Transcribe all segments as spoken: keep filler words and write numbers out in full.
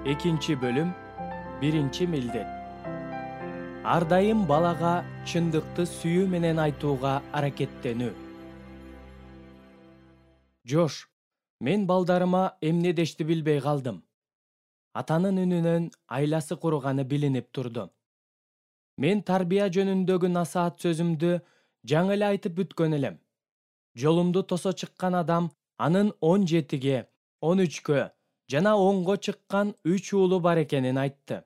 Экинчи бөлүм, биринчи милдет. Ар дайым балага чындыкты сүйүү менен айтууга аракеттенүү. Жош, мен балдарыма эмне дешти билбей калдым. Атанын үнүнөн айласы курганы билинип турду. Мен тарбия жөнүндөгү насаат сөзүмдү жаңы эле айтып бүткөн элем. Жолумду тосо чыккан адам анын он жетиге, он үчкө жана онго чыккан үч уулу бар экенин айтты.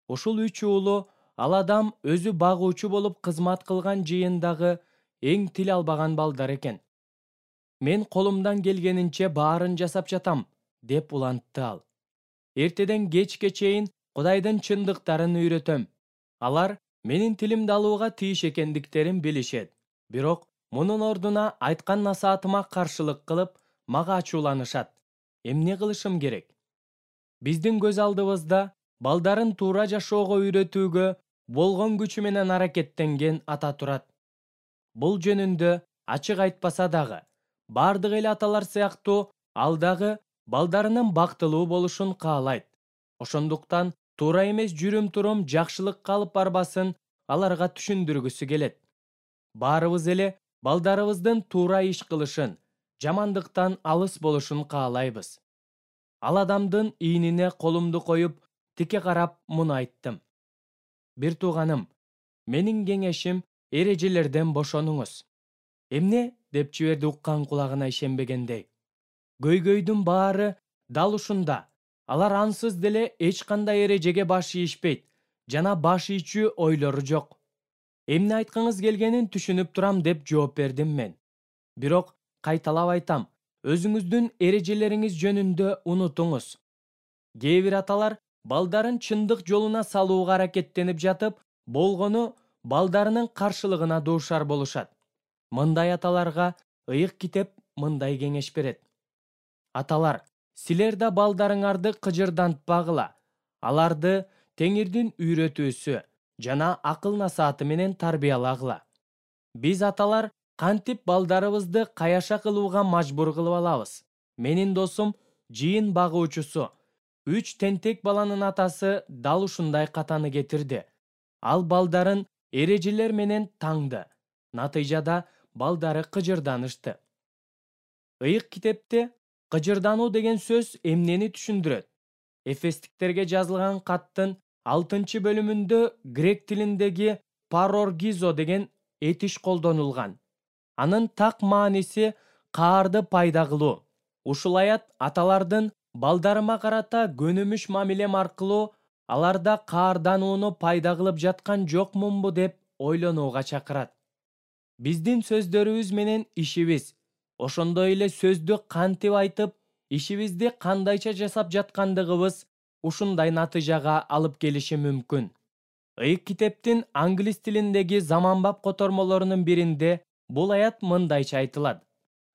Ушул үч уулу ал адам өзү багуучу болуп кызмат кылган жыйындагы эң тил албаган балдар экен. Мен колумдан келгенинче баарын жасап жатам, деп улантты ал. Эртеден кечке чейин Кудайдын чындыктарын үйрөтөм. Алар менин тилимди алууга тийиш экендиктерин билишет. Бирок мунун ордуна айткан насаатыма каршылык кылып, мага ачууланышат. Эмне кылышым керек? Биздин көз алдыбызда балдарын туура жашоого үйрөтүүгө болгон күчү менен аракеттенген ата турат. Бул жөнүндө ачык айтпаса дагы, бардык эле аталар сыяктуу ал дагы балдарынын бактылуу болушун каалайт. Ошондуктан туура эмес жүрүм-турум жакшылыкка алып барбасын аларга түшүндүргүсү келет. Баарыбыз эле балдарыбыздын туура иш кылышын, жамандыктан алыс болушун каалайбыз. Ал адамдын ийнине колумду коюп, тике карап муну айттым. Бир тууганым, менин кеңешим эрежелерден бошонуңуз. Эмне? Деп жиберди уккан кулагына ишенбегендей. Көйгөйдүн баары дал ушунда. Алар ансыз деле эч кандай эрежеге баш ийишпейт жана баш ийчү ойлору жок. Эмне айткыңыз келгенин түшүнүп турам, деп жооп бердим мен. Бирок кайталап айтам, өзүңүздүн эрежелериңиз жөнүндө унутуңуз. Кээ бир аталар балдарын чындык жолуна салууга аракеттенип жатып, болгону балдарынын каршылыгына дуушар болушат. Мындай аталарга ыйык китеп мындай кеңеш берет. Аталар, силер да балдарыңарды кыжырдантпагыла. Аларды Теңирдин үйрөтүүсү жана акыл насааты менен тарбиялагыла. Биз аталар кантип балдарыбызды каяша кылууга мажбур кылып алабыз. Менин досум жыйын багуучусу, үч тентек баланын атасы дал ушундай катаны кетирди. Ал балдарын эрежелер менен таңды. Натыйжада балдары кыжырданышты. Ыйык китепте кыжырдануу деген сөз эмнени түшүндүрөт? Эфестиктерге жазылган каттын алтынчы бөлүмүндө грек тилиндеги пароргизо деген этиш колдонулган. Анын так мааниси каарды пайда кылуу. Ушул аят аталардын балдарыма карата көнүмүш мамилем аркылуу аларда каарданууну пайда кылып жаткан жокмунбу деп ойлонууга чакырат. Биздин сөздөрүбүз менен ишибиз, ошондой эле сөздү кантип айтып, ишибизди кандайча жасап жаткандыгыбыз ушундай натыйжага алып келиши мүмкүн. Ыйык китептин англис тилиндеги заманбап котормолорунун биринде бул аят мындайча айтылат.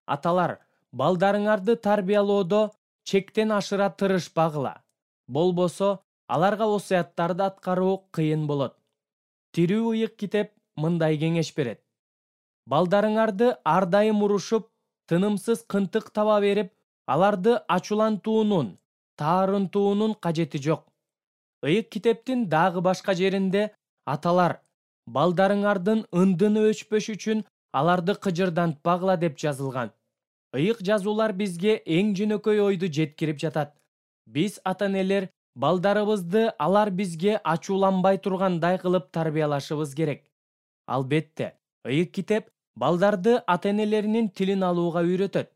Аталар, балдарыңарды тарбиялоодо чектен ашыра тырышпагыла. Болбосо аларга осуяттарды аткаруу кыйын болот. Тирүү ыйык китеп мындай кеңеш берет. Балдарыңарды ар дайым урушуп, тынымсыз кынтык таба берип, аларды ачуулантуунун, таарынтуунун кажети жок. Ыйык китептин дагы башка жеринде аталар, балдарыңардын ындыны өчпөш үчүн аларды кыжырдантпагыла деп жазылган. Ыйык жазуулар бизге эң жөнөкөй ойду жеткирип жатат. Биз ата-энелер балдарыбызды алар бизге ачууланбай тургандай кылып тарбиялашыбыз керек. Албетте, ыйык китеп балдарды ата-энелеринин тилин алууга үйрөтөт.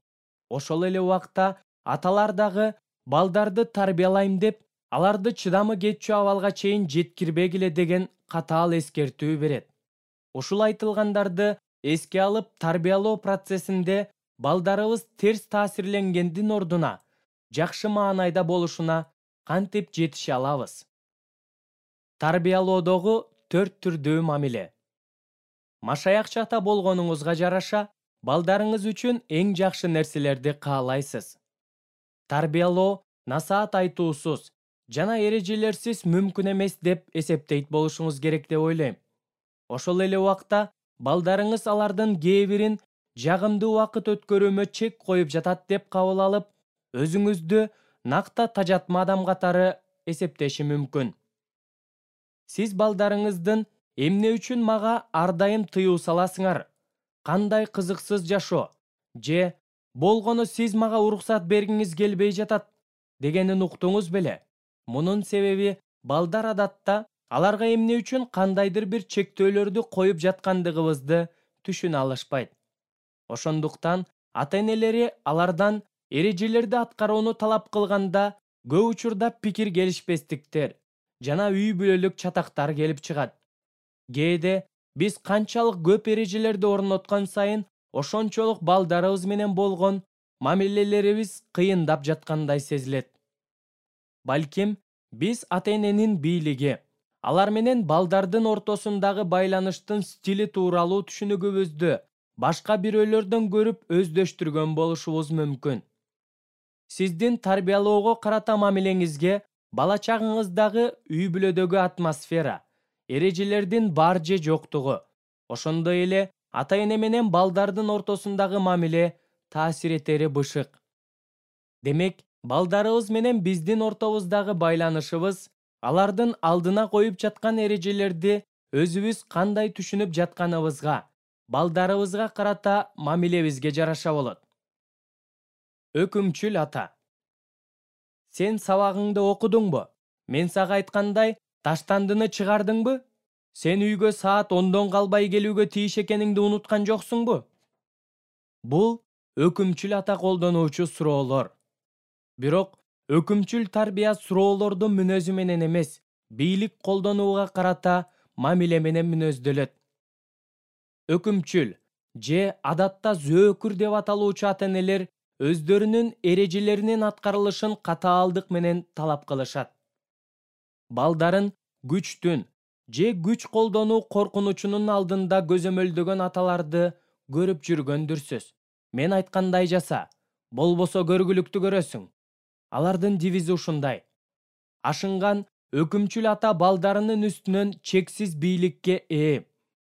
Ошол эле убакта аталар дагы балдарды тарбиялайм деп, аларды чыдамы кетчү абалга чейин жеткирбегиле деген катаал эскертүү берет. Ушул айтылгандарды эске алып тарбиялоо процессинде балдарыбыз терс таасирленгендин ордуна жакшы маанайда болушуна кантип жетише алабыз? Тарбиялоодогу төрт түрдүү мамиле. Машаякчы ата болгонуңузга жараша, балдарыңыз үчүн эң жакшы нерселерди каалайсыз. Тарбиялоо насаат айтуусуз жана эрежелерсиз мүмкүн эмес деп эсептейт болушуңуз керек деп ойлойм. Ошол эле убакта балдарыңыз алардын кээ бирин жагымдуу убакыт өткөрүүмө чек коюп жатат деп кабыл алып, өзүңүздү накта тажатма адам катары эсептеши мүмкүн. Сиз балдарыңыздын эмне үчүн мага ар дайым тыюу саласыңар? Кандай кызыксыз жашоо? Же болгону сиз мага уруксат бергиңиз келбей жатат дегенин уктуңуз беле? Мунун себеби балдар адатта аларга эмне үчүн кандайдыр бир чектөөлөрдү коюп жаткандыгыбызды түшүнө алышпайт. Ошондуктан ата-энелери алардан эрежелерди аткарууну талап кылганда көп учурда пикир келишпестиктер жана үй бүлөлүк чатактар келип чыгат. Кээде биз канчалык көп эрежелерди орноткон сайын ошончолук балдарыбыз менен болгон мамилелерибиз кыйындап жаткандай сезилет. Балким биз ата-эненин бийлиги, алар менен балдардын ортосундагы байланыштын стили тууралуу түшүнүгүбүздү башка бирөөлөрдөн көрүп өздөштүргөн болушубуз мүмкүн. Сиздин тарбиялоого карата мамилеңизге бала чагыңыздагы үй бүлөдөгү атмосфера, эрежелердин бар же жоктугу, ошондой эле ата-эне менен балдардын ортосундагы мамиле таасир этери бышык. Демек, балдарыбыз менен биздин ортобуздагы байланышыбыз алардын алдына коюп жаткан эрежелерди өзүбүз кандай түшүнүп жатканыбызга, балдарыбызга карата мамилебизге жараша болот. Өкүмчүл ата. Сен сабагыңды окудуңбу? Мен сага айткандай, таштандыны чыгардыңбы? Сен үйгө саат ондон калбай келүүгө тийиш экениңди унуткан жоксуңбу? Бул өкүмчүл ата колдонуучу суроолор. Бирок өкүмчүл тарбия суроолордун мүнөзү менен эмес, бийлик колдонууга карата мамиле менен мүнөздөлөт. Өкүмчүл же адатта зөөкүр деп аталуучу ата-энелер өздөрүнүн эрежелеринин аткарылышын катаалдык менен талап кылышат. Балдарын күчтүн же күч колдонуу коркунучунун алдында көзөмөлдөгөн аталарды көрүп жүргөндүрсүз. Мен айткандай жаса, болбосо көргүлүктү көрөсүң. Алардын девизи ушундай. Ашынган өкүмчүл ата балдарынын үстүнөн чексиз бийликке ээ.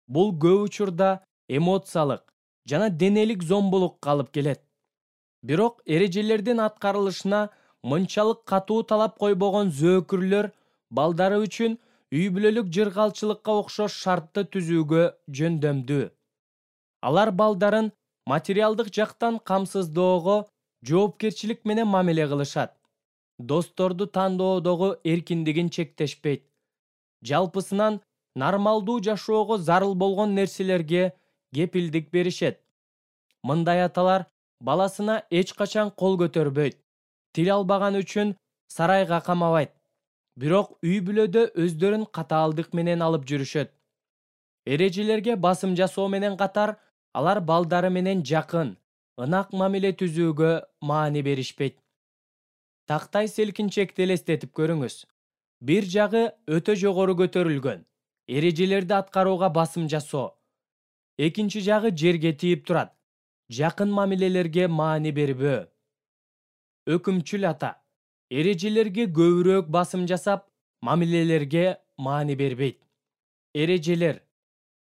Бул көп учурда эмоциялык жана денелик зомбулукка алып келет. Бирок эрежелердин аткарылышына мынчалык катуу талап койбогон зөөкүрлөр балдары үчүн үй бүлөлүк жыргалчылыкка окшош шартты түзүүгө жөндөмдүү. Алар балдарын материалдык жактан камсыздоого жоопкерчилик менен мамиле кылышат. Досторду тандоодогу эркиндигин чектешпейт. Жалпысынан нормалдуу жашоого зарыл болгон нерселерге кепилдик беришет. Мындай аталар баласына эч качан кол көтөрбөйт. Тил албаган үчүн сарайга камабайт. Бирок үй бүлөдө өздөрүн катаалдык менен алып жүрүшөт. Эрежелерге басым жасоо менен катар, алар балдары менен жакын, ынак мамиле түзүүгө маани беришпейт. Тактай селкинчекти элестетип көрүңүз. Бир жагы өтө жогору көтөрүлгөн, эрежелерди аткарууга басым жасоо. Экинчи жагы жерге тийип турат, жакын мамилелерге маани бербөө. Өкүмчүл ата эрежелерге көбүрөөк басым жасап, мамилелерге маани бербейт. Эрежелер,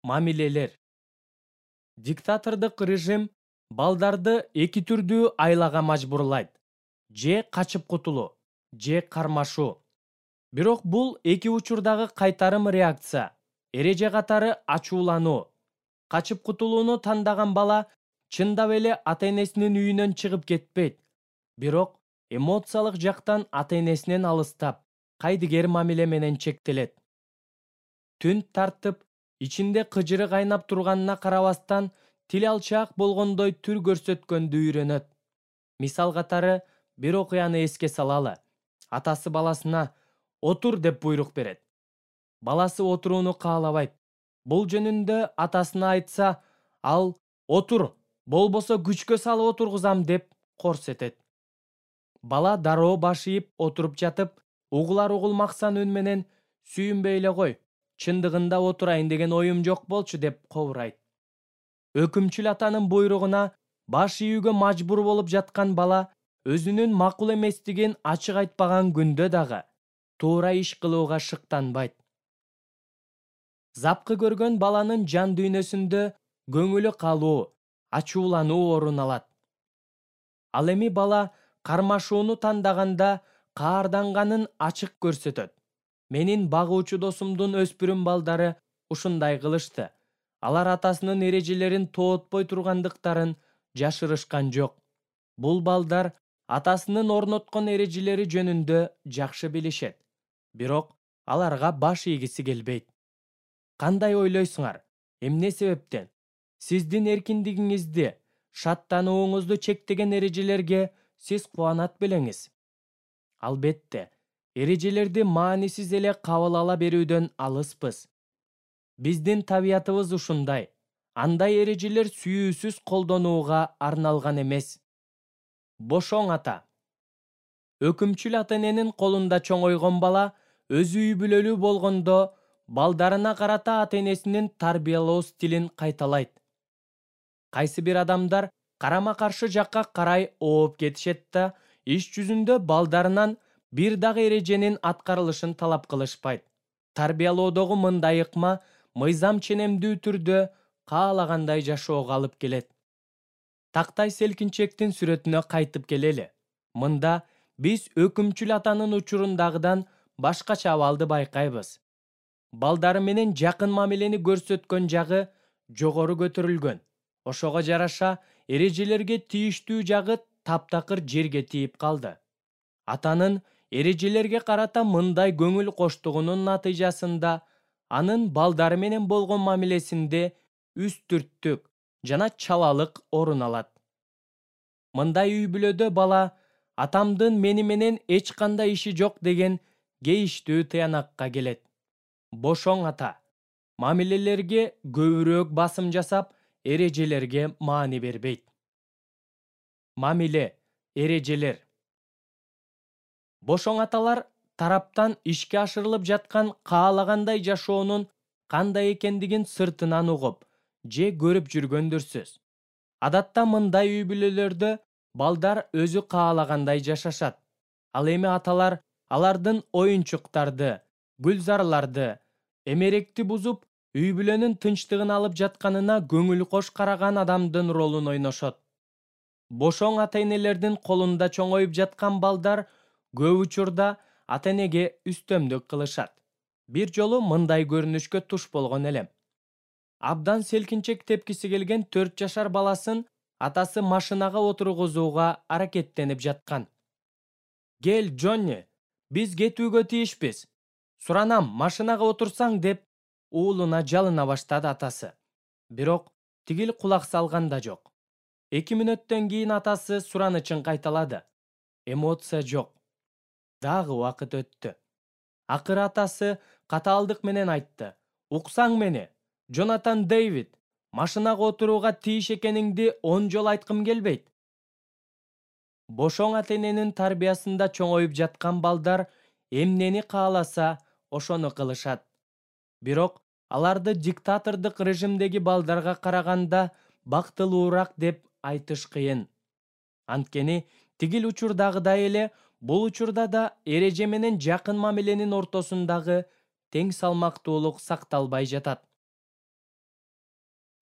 мамилелер. Диктатордук режим балдарды эки түрдүү айлага мажбурлайт. Же качып кутулуу, же кармашуу. Бирок бул эки учурдагы кайтарым реакция. Эреже катары ачуулануу. Качып кутулууну тандаган бала чындап эле ата-энесинин үйүнөн чыгып кетпейт. Бирок эмоциялык жактан ата-энесинен алыстап, кайдыгер мамиле менен чектелет. Түн тартып, ичинде кыжыры кайнап турганына карабастан, тил алчаак болгондой түр көрсөткөндү үйрөнөт. Мисал катары бир окуяны эске салалы. Атасы баласына «Отур» деп буйрук берет. Баласы отурууну каалабайт. Бул жөнүндө атасына айтса, ал «Отур, болбосо күчкө салып отургузам» деп корс этет. Бала дароо баш ийип отуруп жатып, угулар-угулмаксан үн менен «Сүйүнбөй эле кой, чындыгында отурайын деген оюм жок болчу» деп кобурайт. Өкүмчүл атанын буйругуна баш ийүүгө мажбур болуп жаткан бала өзүнүн макул эместигин ачык айтпаган күндө дагы туура иш кылууга шыктанбайт. Запкы көргөн баланын жан дүйнөсүндө көңүлү калуу, ачуулануу орун алат. Ал эми бала кармашууну тандаганда каарданганын ачык көрсөтөт. Менин багуучу досумдун өспүрүм балдары ушундай кылышты. Алар атасынын эрежелерин тоотпой тургандыктарын жашырышкан жок. Бул балдар атасынын орноткон эрежелери жөнүндө жакшы билишет. Бирок аларга баш ийгиси келбейт. Кандай ойлойсуңар? Эмне себептен? Сиздин эркиндигиңизди, шаттанууңузду чектеген эрежелерге сиз кубанат белеңиз. Албетте, эрежелерди маанисиз эле кабыл ала берүүдөн алыспыз. Биздин табиятыбыз ушундай. Андай эрежелер сүйүүсүз колдонууга арналган эмес. Бошоң ата. Өкүмчүл ата-эненин колунда чоңойгон бала өзү үй бүлөлүү болгондо балдарына карата ата-энесинин тарбиялоо стилин кайталайт. Кайсы бир адамдар карама-каршы жакка карай ооп кетишет да, иш жүзүндө балдарынан бир дагы эреженин аткарылышын талап кылышпайт. Тарбиялоодогу мындай ыкма мыйзам ченемдүү түрдө каалагандай жашоого алып келет. Тактай селкинчектин сүрөтүнө кайтып келели. Мында биз өкүмчүл атанын учурундагыдан башкача абалды байкайбыз. Балдары менен жакын мамилени көрсөткөн жагы жогору көтөрүлгөн. Ошого жараша эрежелерге тийиштүү жагы таптакыр жерге тийип калды. Атанын эрежелерге карата мындай көңүл коштугунун натыйжасында анын балдары менен болгон мамилесинде үстүрттүк жана чалалык орун алат. Мындай үй бүлөдө бала атамдын мени менен эч кандай иши жок деген кейиштүү тыянакка келет. Бошоң ата. Мамилелерге көбүрөөк басым жасап, эрежелерге маани бербейт. Мамиле, эрежелер. Бошоң аталар тараптан ишке ашырылып жаткан каалагандай жашоонун кандай экендигин сыртынан угуп же көрүп жүргөндүрсүз. Адатта мындай үй бүлөлөрдө балдар өзү каалагандай жашашат. Ал эми аталар алардын оюнчуктарды, гүлзарларды, эмеректи бузуп, үй бүлөнүн тынчтыгын алып жатканына көңүл кош караган адамдын ролун ойношот. Бошоң ата-энелердин колунда чоңоюп жаткан балдар көп учурда ата-энеге үстөмдүк кылышат. Бир жолу мындай көрүнүшкө туш болгон элем. Абдан селкинчек тепкиси келген төрт жашар баласын атасы машинага отургузууга аракеттенип жаткан. Кел, Джонни, биз кетүүгө тийишпиз. Суранам, машинага отурсаң деп уулуна жалына баштады атасы. Бирок тигил кулак салган да жок. Эки мүнөттөн кийин атасы суранычын кайталады. Эмоция жок. Дагы убакыт өттү. Акыры атасы катаалдык менен айтты. Уксаң мени, Джонатан Дэвид, машинага отурууга тийиш экениңди он жолу айткым келбейт. Бошоң ата-эненин тарбиясында чоңоюп жаткан балдар эмнени кааласа, ошону кылышат. Бирок аларды диктатордук режимдеги балдарга караганда бактылуураак деп айтыш кыйын. Анткени тигил учурдагыдай эле бул учурда да эреже менен жакын мамиленин ортосундагы тең салмактуулук сакталбай жатат.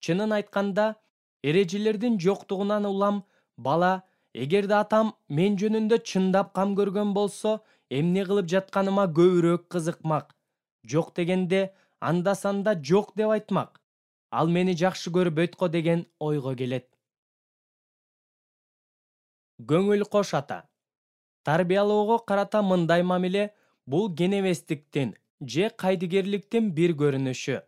Чынын айтканда, эрежелердин жоктугунан улам бала, эгерде атам мен жөнүндө чындап кам көргөн болсо, эмне кылып жатканыма көбүрөөк кызыкмак. Жок дегенде анда-санда жок деп айтмак. Ал мени жакшы көрбөйт го деген ойго келет. Көңүл кош ата. Тарбиялоого карата мындай мамиле бул кенебестиктин же кайдыгерликтин бир көрүнүшү.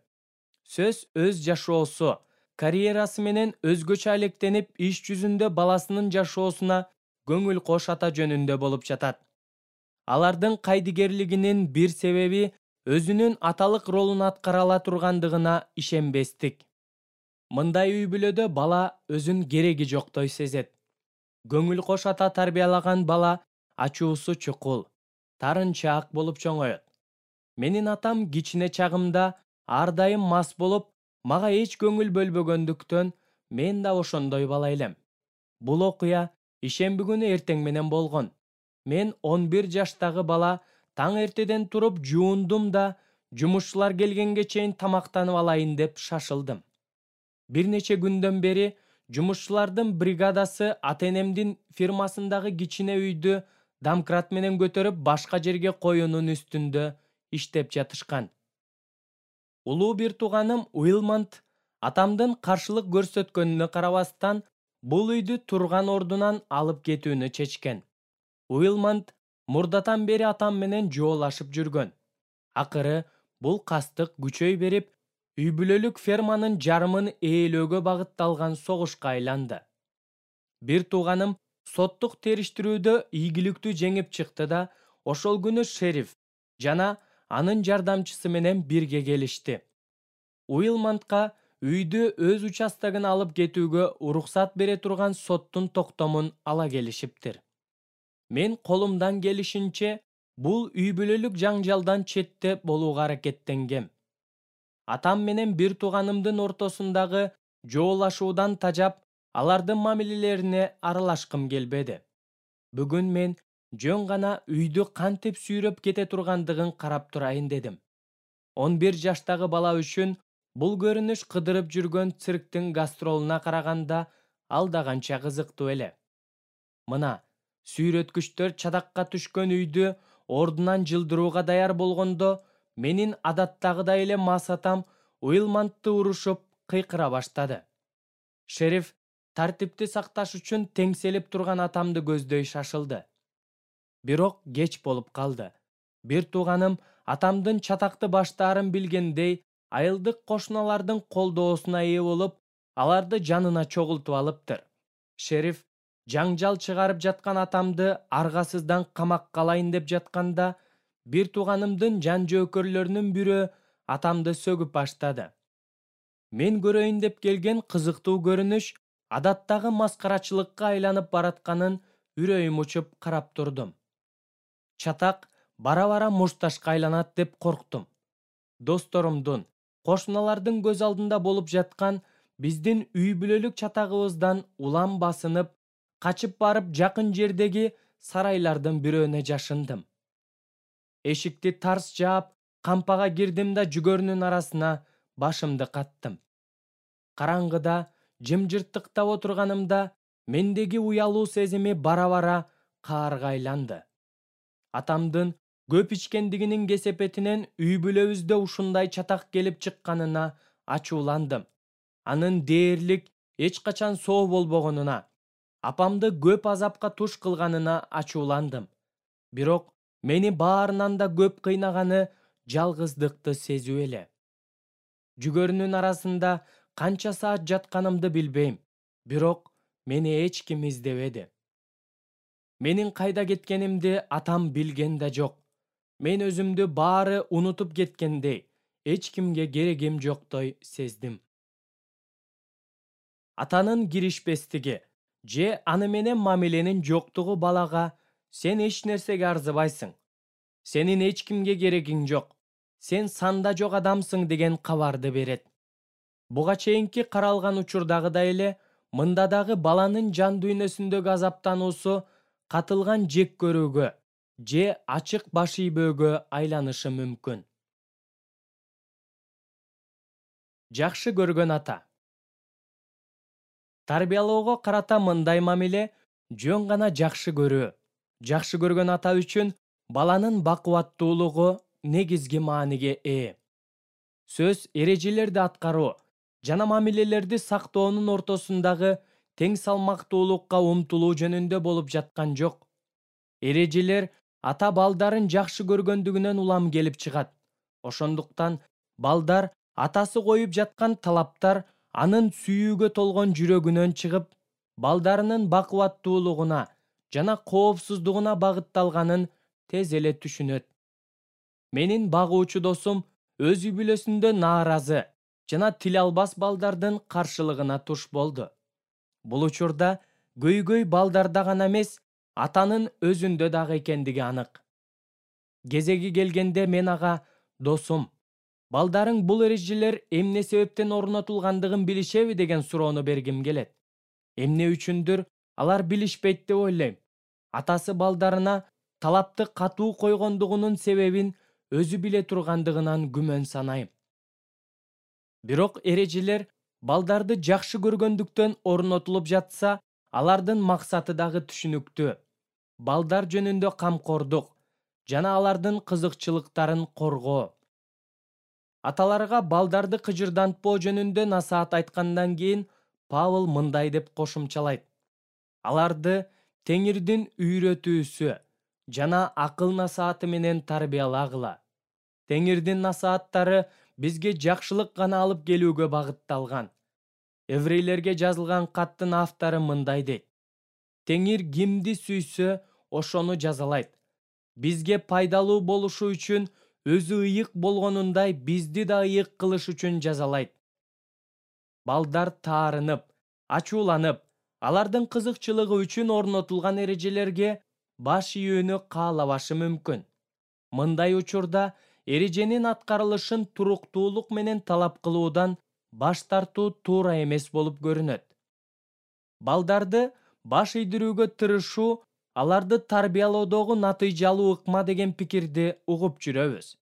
Сөз өз жашоосу, карьерасы менен өзгөчө алектенип иш жүзүндө баласынын жашоосуна көңүл кош ата жөнүндө болуп жатат. Алардын кайдыгерлигинин бир себеби өзүнүн аталык ролун аткара ала тургандыгына ишенбестик. Мындай үй бүлөдө бала өзүн кереги жоктой сезет. Көңүл кош ата тарбиялаган бала ачуусу чукул, тарынчаак болуп чоңоет. Менин атам кичине чагымда ар дайым мас болуп, мага эч көңүл бөлбөгөндүктөн мен да ошондой бала элем. Бул окуя ишемби күнү эртең менен болгон. Мен он бир жаштагы бала таң эртеден туруп жуундум да, жумушчулар келгенге чейин тамактанып алайын деп шашылдым. Бир нече күндөн бери жумушчулардын бригадасы ата-энемдин фирмасындагы кичине үйдү домкрат менен көтөрүп башка жерге коюунун үстүндө иштеп жатышкан. Улуу бир тууганым Уилмонт атамдын каршылык көрсөткөнүнө карабастан бул үйдү турган ордунан алып кетүүнү чечкен. Уилмонт мурдатан бери атам менен жоолашып жүргөн. Акыры бул кастык күчөй берип, үй бүлөлүк ферманын жарымын ээлөөгө багытталган согушка айланды. Бир тууганым соттук териштирүүдө ийгиликтүү жеңип чыкты да, ошол күнү шериф жана анын жардамчысы менен бирге келишти. Уилмонтка үйдү өз участогуна алып кетүүгө уруксат бере турган соттун токтомун ала келишиптир. Мен колумдан келишинче бул үй бүлөлүк жаңжалдан четте болууга аракеттенгем. Атам менен бир тууганымдын ортосундагы жоолашуудан тажап, алардын мамилелерине аралашкым келбеди. Бүгүн мен жөн гана үйдү кантип сүйрөп кете тургандыгын карап турайын дедим. он бир жаштагы бала үчүн бул көрүнүш кыдырып жүргөн цирктин гастролуна караганда алдаганча кызыктуу эле. Мына, сүйрөткүчтөр чатакка түшкөн үйдү ордунан жылдырууга даяр болгондо, менин адаттагыдай эле мас атам Уилмонтты урушуп кыйкыра баштады. Шериф тартипти сакташ үчүн теңселип турган атамды көздөй шашылды. Бирок кеч болуп калды. Бир тууганым атамдын чатакты баштаарын билгендей, айылдык кошуналардын колдоосуна ээ болуп, аларды жанына чогултуп алыптыр. Шериф жаңжал чыгарып жаткан атамды аргасыздан камакка алайын деп жатканда, бир тууганымдын жан жөөкөрлөрүнүн бирөө атамды сөгүп баштады. Мен көрөйүн деп келген кызыктуу көрүнүш адаттагы маскарачылыкка айланып баратканын үрөйүм учуп карап турдум. Чатак бара-бара мушташка айланат деп корктум. Досторумдун, кошуналардын көз алдында болуп жаткан биздин үй бүлөлүк чатагыбыздан улам басынып, качып барып жакын жердеги сарайлардын бирөөнө жашындым. Эшикти тарс жаап, кампага кирдим да жүгөрүнүн арасына башымды каттым. Караңгыда, жымжырттыктап отурганымда, мендеги уялуу сезими бара-бара каарга айланды. Атамдын көп ичкендигинин кесепетинен үй бүлөбүздө ушундай чатак келип чыкканына ачууландым. Анын дээрлик эч качан соо болбогонуна, апамды көп азапка туш кылганына ачууландым. Бирок мени баарынан да көп кыйнаганы жалгыздыкты сезүү эле. Жүгөрүнүн арасында канча саат жатканымды билбейм, бирок мени эч ким издебеди. Менин кайда кеткенимди атам билген да жок. Мен өзүмдү баары унутуп кеткендей, эч кимге керегим жоктой сездим. Атанын киришпестиги же аны менен мамиленин жоктугу балага "Сен эч нерсеге арзыбайсың. Сенин эч кимге керегиң жок. Сен санда жок адамсың" деген кабарды берет. Буга чейинки каралган учурдагыдай эле мында дагы баланын жан дүйнөсүндөгү азаптануусу катылган жек көрүүгө же ачык баш ийбөөгө айланышы мүмкүн. Жакшы көргөн ата. Тарбиялоого карата мындай мамиле жөн гана жакшы көрүү. Жакшы көргөн ата үчүн баланын бакубаттуулугу негизги мааниге ээ. Сөз эрежелерди аткаруу жана мамилелерди сактоонун ортосундагы тең салмактуулукка умтулуу жөнүндө болуп жаткан жок. Эрежелер ата балдарын жакшы көргөндүгүнөн улам келип чыгат. Ошондуктан балдар атасы коюп жаткан талаптар анын сүйүүгө толгон жүрөгүнөн чыгып, балдарынын бакубаттуулугуна жана коопсуздугуна багытталганын тез эле түшүнөт. Менин багуучу досум өз үй бүлөсүндө нааразы жана тил албас балдардын каршылыгына туш болду. Бул учурда көйгөй балдарда гана эмес, атанын өзүндө дагы экендиги анык. Кезеги келгенде мен ага "Досум, балдарың бул эрежелер эмне себептен орнотулгандыгын билишеби" деген суроону бергим келет. Эмне үчүндүр алар билишпейт деп ойлойм. Атасы балдарына талапты катуу койгондугунун себебин өзү биле тургандыгынан күмөн санайм. Бирок эрежелер балдарды жакшы көргөндүктөн орнотулуп жатса, алардын максаты дагы түшүнүктүү. балдар жөнүндө камкордук жана алардын кызыкчылыктарын коргоо. Аталарга балдарды кыжырдантпоо жөнүндө насаат айткандан кийин Павыл мындай деп кошумчалайт: аларды Теңирдин үйрөтүүсү жана акыл насааты менен тарбиялагыла. Теңирдин насааттары бизге жакшылык гана алып келүүгө багытталган. Еврейлерге жазылган каттын автору мындай дейт: Теңир кимди сүйсө, ошону жазалайт. Бизге пайдалуу болушу үчүн өзү ыйык болгонундай бизди да ыйык кылыш үчүн жазалайт. Балдар таарынып, ачууланып, алардын кызыкчылыгы үчүн орнотулган эрежелерге баш ийүүнү каалабашы мүмкүн. Мындай учурда эреженин аткарылышын туруктуулук менен талап кылуудан баш тартуу туура эмес болуп көрүнөт. Балдарды баш ийдирүүгө тырышуу аларды тарбиялоодогу натыйжалуу ыкма деген пикирди угуп жүрөбүз.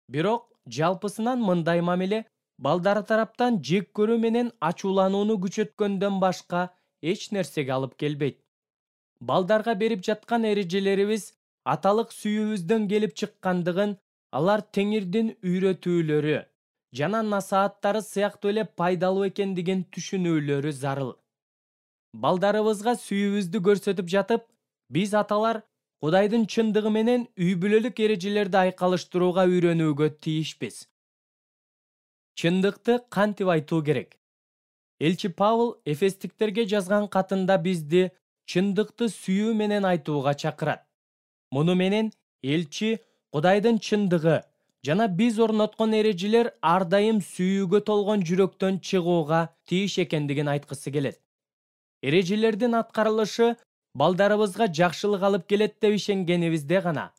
Бирок жалпысынан мындай мамиле балдар тараптан жек көрүү менен ачууланууну күчөткөндөн башка эч нерсеге алып келбейт. Балдарга берип жаткан эрежелерибиз аталык сүйүүбүздөн келип чыккандыгын, алар Теңирдин үйрөтүүлөрү жана насааттары сыяктуу эле пайдалуу экендигин түшүнүүлөрү зарыл. Балдарыбызга сүйүүбүздү көрсөтүп жатып, биз аталар Кудайдын чындыгы менен үй бүлөлүк эрежелерди айкалыштырууга үйрөнүүгө тийишпиз. Чындыкты кантип айтуу керек? Элчи Павыл Эфестиктерге жазган катында бизди чындыкты сүйүү менен айтууга чакырат. Муну менен элчи Кудайдын чындыгы жана биз орноткон эрежелер ар дайым сүйүүгө толгон жүрөктөн чыгууга тийиш экендигин айткысы келет. Эрежелердин аткарылышы балдарыбызга жакшылык алып келет деп ишенгенибизде гана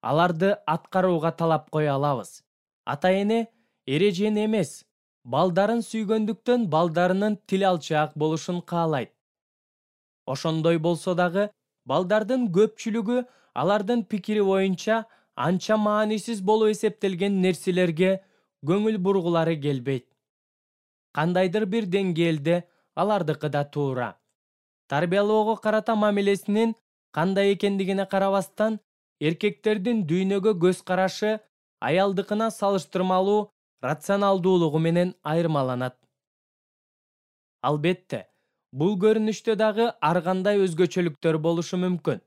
аларды аткарууга талап кое алабыз. Ата-эне эрежени эмес, балдарын сүйгөндүктөн балдарынын тил алчаак болушун каалайт. Ошондой болсо дагы балдардын көпчүлүгү алардын пикири боюнча анча маанисиз болуп эсептелген нерселерге көңүл бургулары келбейт. Кандайдыр бир деңгээлде алардыкы да туура. Тарбиялоого карата мамилесинин кандай экендигине карабастан, эркектердин дүйнөгө көз карашы аялдыкына салыштырмалуу рационалдуулугу менен айырмаланат. Албетте, бул көрүнүштө дагы ар кандай өзгөчөлүктөр болушу мүмкүн.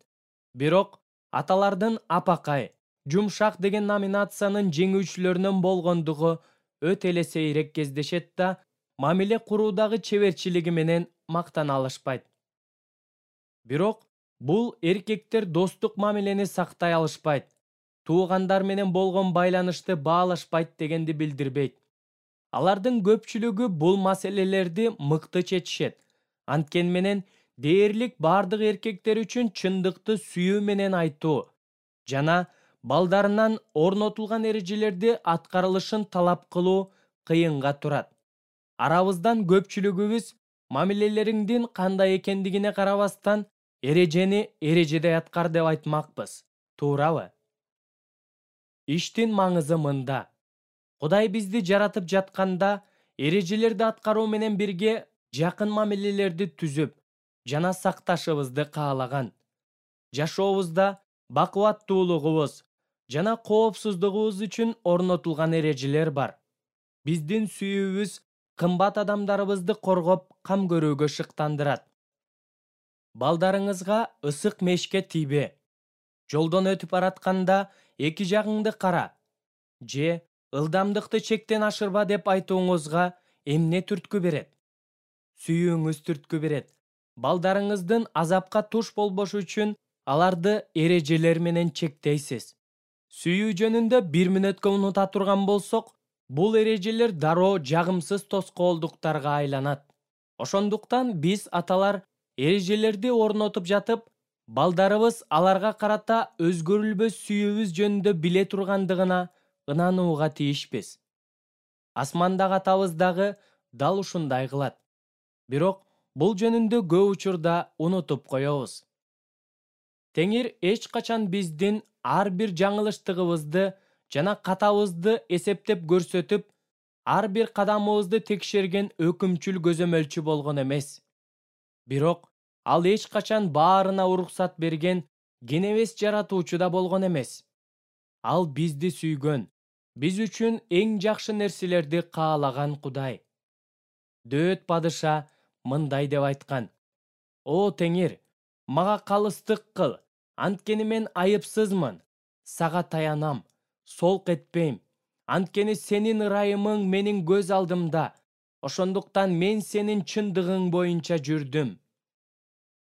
Бирок аталардын апакай, жумшак деген номинациянын жеңүүчүлөрүнөн болгондугу өтө эле сейрек кездешет да, мамиле куруудагы чеберчилиги менен мактана алышпайт. Бирок бул эркектер достук мамилени сактай алышпайт, туугандар менен болгон байланышты баалашпайт дегенди билдирбейт. Алардын көпчүлүгү бул маселелерди мыкты чечишет. Анткени менен дээрлик бардык эркектер үчүн чындыкты сүйүү менен айтуу жана балдарынан орнотулган эрежелерди аткарылышын талап кылуу кыйынга турат. Арабыздан көпчүлүгүбүз мамилелериңдин кандай экендигине карабастан эрежени эрежедей аткар деп айтмакпыз. Туурабы? Иштин маңызы мында. Кудай бизди жаратып жатканда эрежелерди аткаруу менен бирге жакын мамилелерди түзүп жана сакташыбызды каалаган. Жашообузда бакубаттуулугубуз жана коопсуздугубуз үчүн орнотулган эрежелер бар. Биздин сүйүүбүз кымбат адамдарыбызды коргоп, кам көрүүгө шыктандырат. Балдарыңызга ысык мешке тийбе. Жолдон өтүп баратканда эки жагыңды кара. Же ылдамдыкты чектен ашырба деп айтууңузга эмне түрткү берет? Сүйүүңүз түрткү берет. Балдарыңыздын азапка туш болбошу үчүн аларды эрежелер менен чектейсиз. Сүйүү жөнүндө бир мүнөткө унута турган болсок, бул эрежелер дароо жагымсыз тоскоолдуктарга айланат. Ошондуктан биз аталар эрежелерди орнотуп жатып, балдарыбыз аларга карата өзгөрүлбөс сүйүүбүз жөнүндө биле тургандыгына ынанууга тийишпиз. Асмандагы атабыз дагы дал ушундай кылат. Бирок бул жөнүндө көп учурда унутуп коебуз. Теңир эч качан биздин ар бир жаңылыштыгыбызды жана катабызды эсептеп көрсөтүп, ар бир кадамыбызды текшерген өкүмчүл көзөмөлчү болгон эмес. Бирок ал эч качан баарына уруксат берген кенебес жаратуучу да болгон эмес. Ал бизди сүйгөн, биз үчүн эң жакшы нерселерди каалаган Кудай. Дөөт падыша мындай деп айткан: «О Теңир, мага калыстык кыл, анткени мен айыпсызмын. Сага таянам, солк этпейм, анткени сенин ырайымың менин көз алдымда. Ошондуктан мен сенин чындыгың боюнча жүрдүм».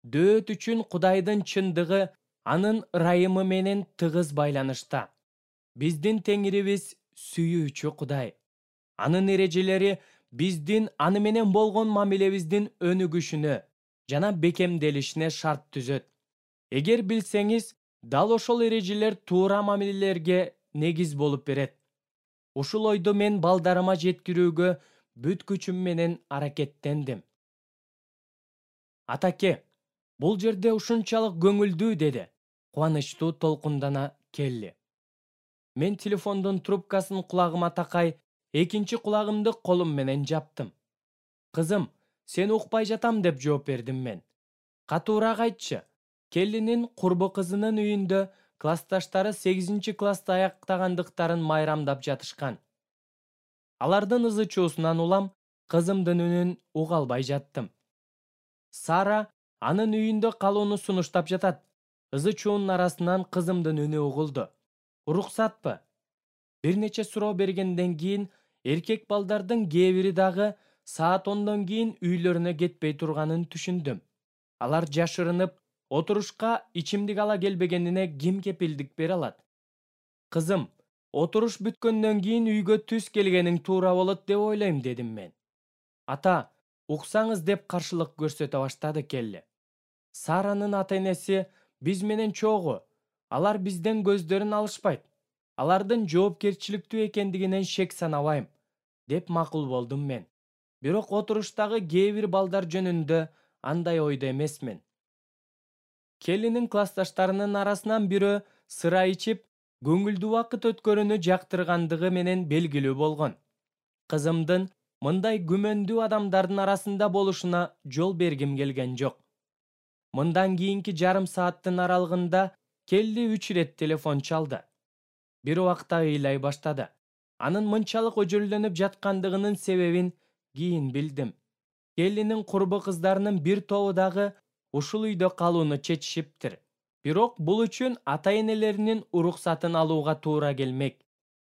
Дөөт үчүн Кудайдын чындыгы анын ырайымы менен тыгыз байланышта. Биздин Теңирибиз сүйүүчү Кудай. Анын эрежелери биздин аны менен болгон мамилебиздин өнүгүшүнө жана бекемделишине шарт түзөт. Эгер билсеңиз, дал ошол эрежелер туура мамилелерге негиз болуп берет. Ушул ойду мен балдарыма жеткирүүгө бүт күчүм менен аракеттендим. Атаке, бул жерде ушунчалык көңүлдүү, деди кубанычтуу толкундана Келли. Мен телефондун трубкасын кулагыма такай, экинчи кулагымды колум менен жаптым. Кызым, сени укпай жатам, деп жооп бердим мен. Катуураак айтчы. Келлинин курбу кызынын үйүндө классташтары сегизинчи классты аяктагандыктарын майрамдап жатышкан. Алардын ызы чуусунан улам кызымдын үнүн уга албай жаттым. Сара анын үйүндө калууну сунуштап жатат. Ызы чуунун арасынан кызымдын үнү угулду. Уруксатпы? Бир нече суроо бергенден кийин эркек балдардын кээ бири дагы саат ондон кийин үйлөрүнө кетпей турганын түшүндүм. Алар жашырынып, отурушка ичимдик ала келбегенине ким кепилдик бере алат? Кызым, отуруш бүткөндөн кийин үйгө түс келгениң туура болот деп ойлойм, дедим мен. Ата, уксаңыз, деп каршылык көрсөтө баштады Келли. Саранын ата-энеси биз менен чогуу. Алар бизден көздөрүн алышпайт. Алардын жоопкерчиликтүү экендигинен шек санабайм, деп макул болдум мен. Бирок отуруштагы кээ бир балдар жөнүндө андай ойдо эмесмин. Келлинин классташтарынын арасынан бирөө сыра ичип, көңүлдүү убакыт өткөрүүнү жактыргандыгы менен белгилүү болгон. Кызымдын мындай күмөндүү адамдардын арасында болушуна жол бергим келген жок. Мындан кийинки жарым сааттын аралыгында Келли үч ирет телефон чалды. Бир убакта ыйлай баштады. Анын мынчалык өжөлдөнүп жаткандыгынын себебин кийин билдим. Келлинин курбу кыздарынын бир тобу дагы ушул үйдө калууну чечишиптир. Бирок бул үчүн ата-энелеринин уруксатын алууга туура келмек.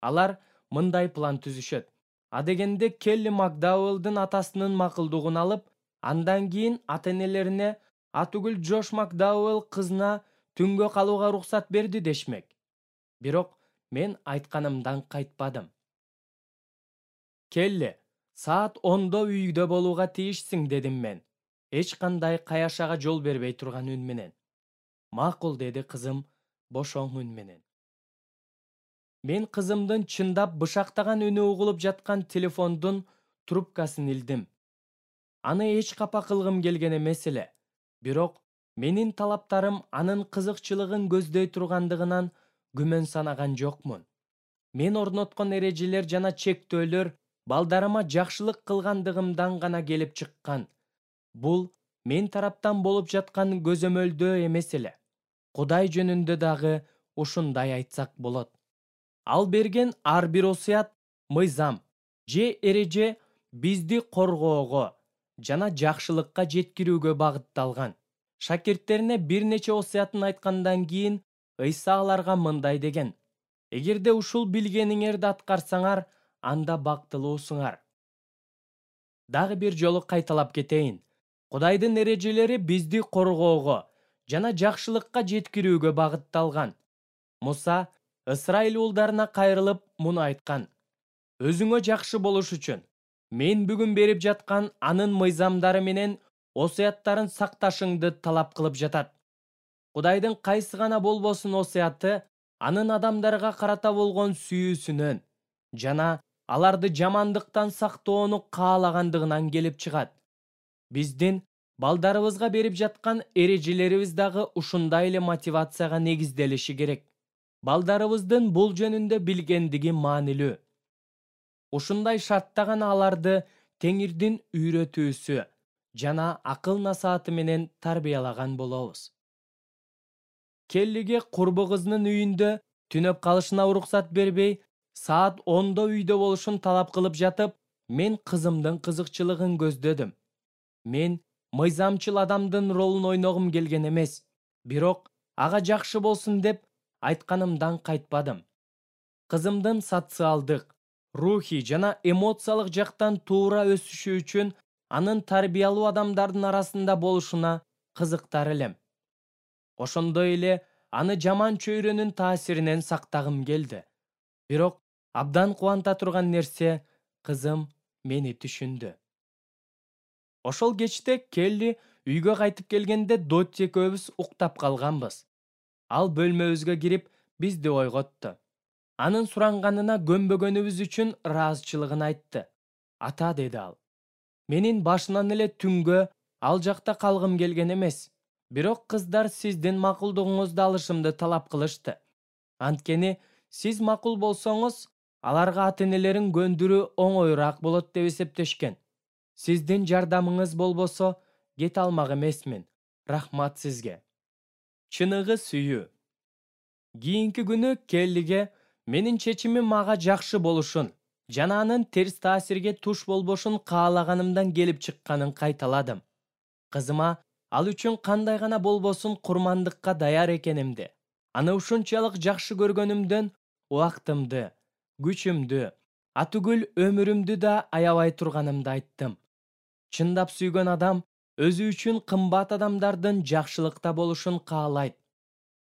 Алар мындай план түзүшөт. Адегенде Келли Макдауэллдин атасынын макулдугун алып, андан кийин ата-энелерине атүгүл Джош Макдауэлл кызына түнгө калууга уруксат берди дешмек. Бирок мен айтканымдан кайтпадым. Келли, саат ондо үйдө болууга тийишсиң, дедим мен, эч кандай каяшага жол бербей турган үн менен. Макул, деди кызым бошоң үн менен. Мен кызымдын чындап бышактаган үнү угулуп жаткан телефондун трубкасын илдим. Аны эч капа кылгым келген эмес эле. Бирок менин талаптарым анын кызыкчылыгын көздөй тургандыгынан күмөн санаган жокмун. Мен орноткон эрежелер жана чектөөлөр балдарыма жакшылык кылгандыгымдан гана келип чыккан. Бул мен тараптан болуп жаткан көзөмөлдөө эмес эле. Кудай жөнүндө дагы ушундай айтсак болот. Ал берген ар бир осуят, мыйзам же эреже бизди коргоого жана жакшылыкка жеткирүүгө багытталган. Шакирттерине бир нече осуятын айткандан кийин Ыйса аларга мындай деген: эгерде ушул билгениңерди аткарсаңар, анда бактылуусуңар. Дагы бир жолу кайталап кетейин. Кудайдын эрежелери бизди коргоого жана жакшылыкка жеткирүүгө багытталган. Муса Ысрайыл уулдарына кайрылып муну айткан: өзүңө жакшы болуш үчүн мен бүгүн берип жаткан анын мыйзамдары менен осуяттарын сакташыңды талап кылып жатат. Кудайдын кайсы гана болбосун осуяты анын адамдарга карата болгон сүйүүсүнөн жана аларды жамандыктан сактоону каалагандыгынан келип чыгат. Биздин балдарыбызга берип жаткан эрежелерибиз дагы ушундай эле мотивацияга негизделиши керек. Балдарыбыздын бул жөнүндө билгендиги маанилүү. Ушундай шартта гана аларды Теңирдин үйрөтүүсү жана акыл насааты менен тарбиялаган болобуз. Келлиге курбу кызынын үйүндө түнөп калышына уруксат бербей, саат ондо үйдө болушун талап кылып жатып, мен кызымдын кызыкчылыгын көздөдүм. Мен мыйзамчыл адамдын ролун ойногум келген эмес, бирок ага жакшы болсун деп айтканымдан кайтпадым. Кызымдын социалдык, рухий жана эмоциялык жактан туура өсүшү үчүн анын тарбиялуу адамдардын арасында болушуна кызыктар элем. Ошондой эле аны жаман чөйрөнүн таасиринен сактагым келди. Бирок абдан кубанта турган нерсе, кызым мени түшүндү. Ошол кечте Келли үйгө кайтып келгенде Дотти экөөбүз уктап калганбыз. Ал бөлмөбүзгө кирип бизди ойготту. Анын суранганына көнбөгөнүбүз үчүн ыраазычылыгын айтты. Ата, деди ал, менин башынан эле түнгө ал жакта калгым келген эмес. Бирок кыздар сиздин макулдугуңузду алышымды талап кылышты. Анткени сиз макул болсоңуз, аларга ата-энелерин көндүрүү оңоюраак болот деп эсептешкен. Сиздин жардамыңыз болбосо, кете алмак эмесмин. Рахмат сизге. Чыныгы сүйүү. Кийинки күнү Келлиге менин чечимим ага жакшы болушун жана анын терс таасирге туш болбошун каалаганымдан келип чыкканын кайталадым. Кызыма ал үчүн кандай гана болбосун курмандыкка даяр экенимди, аны ушунчалык жакшы көргөнүмдөн убактымды, күчүмдү, атүгүл өмүрүмдү да аябай турганымды айттым. Чындап сүйгөн адам өзү үчүн кымбат адамдардын жакшылыкта болушун каалайт.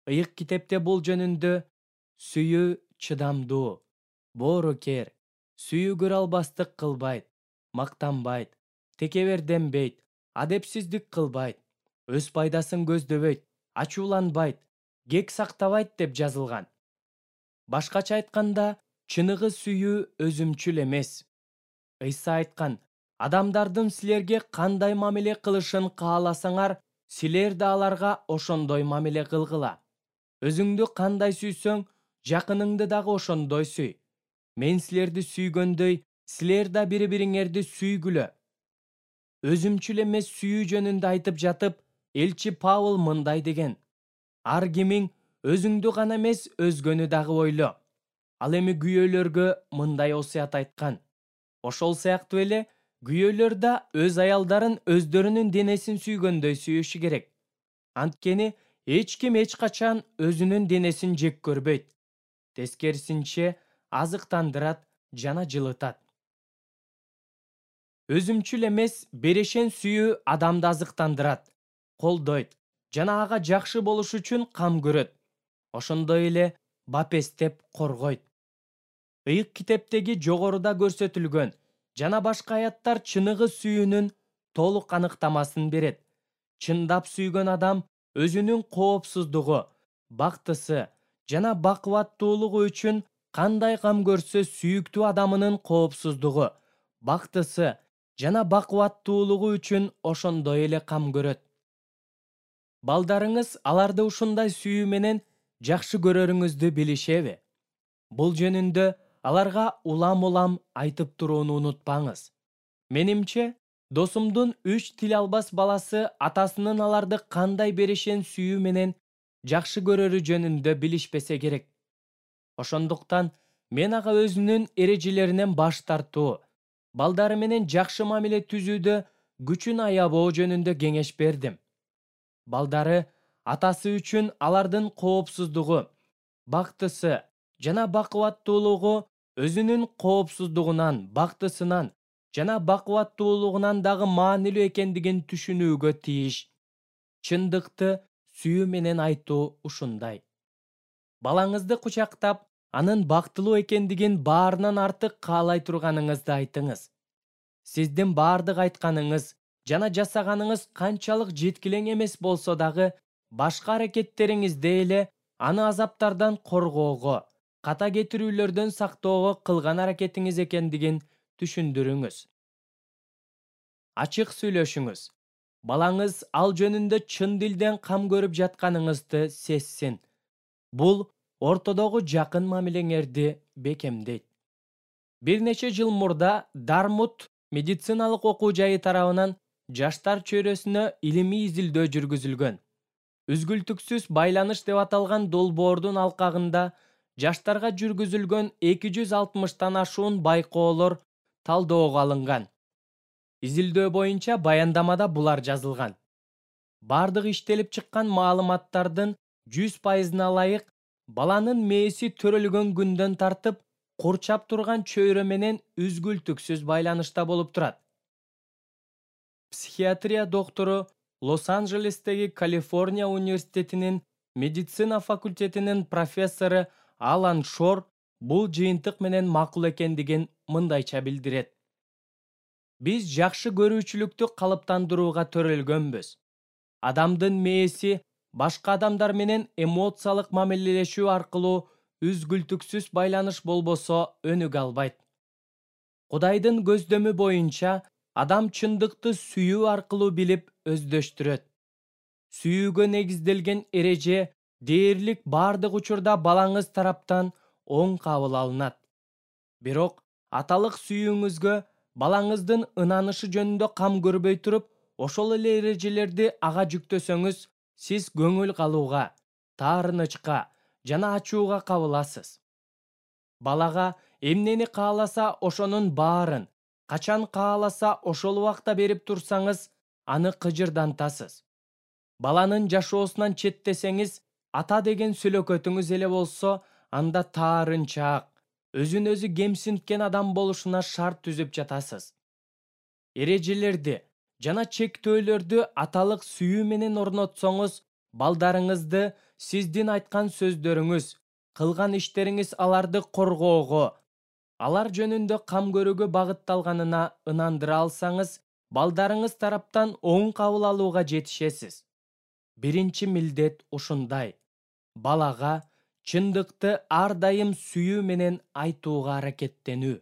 Ыйык китепте бул жөнүндө сүйүү чыдамдуу, боорукер, сүйүү көрө албастык кылбайт, мактанбайт, текеберденбейт, адепсиздик кылбайт, өз пайдасын көздөбөйт, ачууланбайт, кек сактабайт деп жазылган. Башкача айтканда, чыныгы сүйүү өзүмчүл эмес. Ыйса айткан: адамдардын силерге кандай мамиле кылышын кааласаңар, силер да аларга ошондой мамиле кылгыла. Өзүңдү кандай сүйсөң, жакыныңды дагы ошондой сүй. Мен силерди сүйгөндөй, силер да бири-бириңерди сүйгүлө. Өзүмчүл эмес сүйүү жөнүндө айтып жатып, элчи Павыл мындай деген: ар кимиң өзүңдү гана эмес, өзгөнү дагы ойло. Ал эми күйөөлөргө мындай осуят айткан: ошол сыяктуу эле күйөөлөр да өз аялдарын өздөрүнүн денесин сүйгөндөй сүйүшү керек. Анткени эч ким эч качан өзүнүн денесин жек көрбөйт. Тескерисинче, азыктандырат жана жылытат. Өзүмчүл эмес, берешен сүйүү адамды азыктандырат, колдойт жана ага жакшы болуш үчүн кам көрөт. Ошондой эле бапестеп коргойт. Ыйык китептеги жогоруда көрсөтүлгөн жана башка аяттар чыныгы сүйүүнүн толук аныктамасын берет. Чындап сүйгөн адам өзүнүн коопсуздугу, бактысы жана бакубаттуулугу үчүн кандай кам көрсө, сүйүктүү адамынын коопсуздугу, бактысы жана бакубаттуулугу үчүн ошондой эле кам көрөт. Балдарыңыз аларды ушундай сүйүү менен жакшы көрөрүңүздү билишеби? Бул жөнүндө аларга улам-улам айтып турууну унутпаңыз. Менимче, досумдун үч тил албас баласы атасынын аларды кандай берешен сүйүү менен жакшы көрөрү жөнүндө билишпесе керек. Ошондуктан мен ага өзүнүн эрежелеринен баш тартуу, балдары менен жакшы мамиле түзүүдө күчүн аябоо жөнүндө кеңеш бердим. Балдары атасы үчүн алардын коопсуздугу, бактысы жана бакубаттуулугу өзүнүн коопсуздугунан, бактысынан жана бакубаттуулугунан дагы маанилүү экендигин түшүнүүгө тийиш. Чындыкты сүйүү менен айтуу ушундай. Балаңызды кучактап, анын бактылуу экендигин баарынан артык каалай турганыңызды айтыңыз. Сиздин баардык айтканыңыз жана жасаганыңыз канчалык жеткилең эмес болсо дагы, башка аракеттериңизде эле аны азаптардан коргоого, ката кетирүүлөрдөн сактоого кылган аракетиңиз экендигин түшүндүрүңүз. Ачык сүйлөшүңүз. Балаңыз ал жөнүндө чын дилден кам көрүп жатканыңызды сезсин. Бул ортодогу жакын мамилеңерди бекемдейт. Бир нече жыл мурда Дармут медициналык окуу жайы тарабынан жаштар чөйрөсүнө илимий изилдөө жүргүзүлгөн. Үзгүлтүксүз байланыш деп аталган долбоордун алкагында жаштарга жүргүзүлгөн эки жүз алтымыштан ашуун байкоолор талоого алынган. Изилдөө боюнча баяндамада булар жазылган. Бардык иштелип чыккан маалыматтардын жүз пайызына ылайык баланын мээси төрөлгөн күндөн тартып курчап турган чөйрө менен үзгүлтүксүз байланышта болуп турат. Психиатрия доктору Лос-Анджелестеги Калифорния университетинин медицина факультетинин профессору Алан Шор бул жыйынтык менен макул экендигин мындайча билдирет. Биз жакшы көрүүчүлүктү калыптандырууга төрөлгөнбүз. Адамдын мээси башка адамдар менен эмоциялык мамилелешүү аркылуу үзгүлтүксүз байланыш болбосо өнүгө албайт. Кудайдын көздөмү боюнча адам чындыкты сүйүү аркылуу билип өздөштүрөт. Сүйүүгө негизделген эреже дээрлик бардык учурда балаңыз тараптан оң кабыл алынат. Бирок аталык сүйүүңүзгө балаңыздын ынанышы жөнүндө кам көрбөй туруп, ошол эле эрежелерди ага жүктөсөңүз, сиз көңүл калууга, таарынычка жана ачууга кабыласыз. Балага эмнени кааласа ошонун баарын, качан кааласа ошол убакта берип турсаңыз, аны кыжырдантасыз. Баланын жашоосунан четтесеңиз, ата деген сүлөкөтүңүз эле болсо, анда таарынчаак, өзүн өзү кемсинткен адам болушуна шарт түзүп жатасыз. Эрежелерди жана чектөөлөрдү аталык сүйүү менен орнотсоңуз, балдарыңызды сиздин айткан сөздөрүңүз, кылган иштериңиз аларды коргоого, алар жөнүндө кам көрүүгө багытталганына ынандыра алсаңыз, балдарыңыз тараптан оң кабыл алууга жетишесиз. Биринчи милдет ушундай: балага чындыкты ар дайым сүйүү менен айтууга аракеттенүү.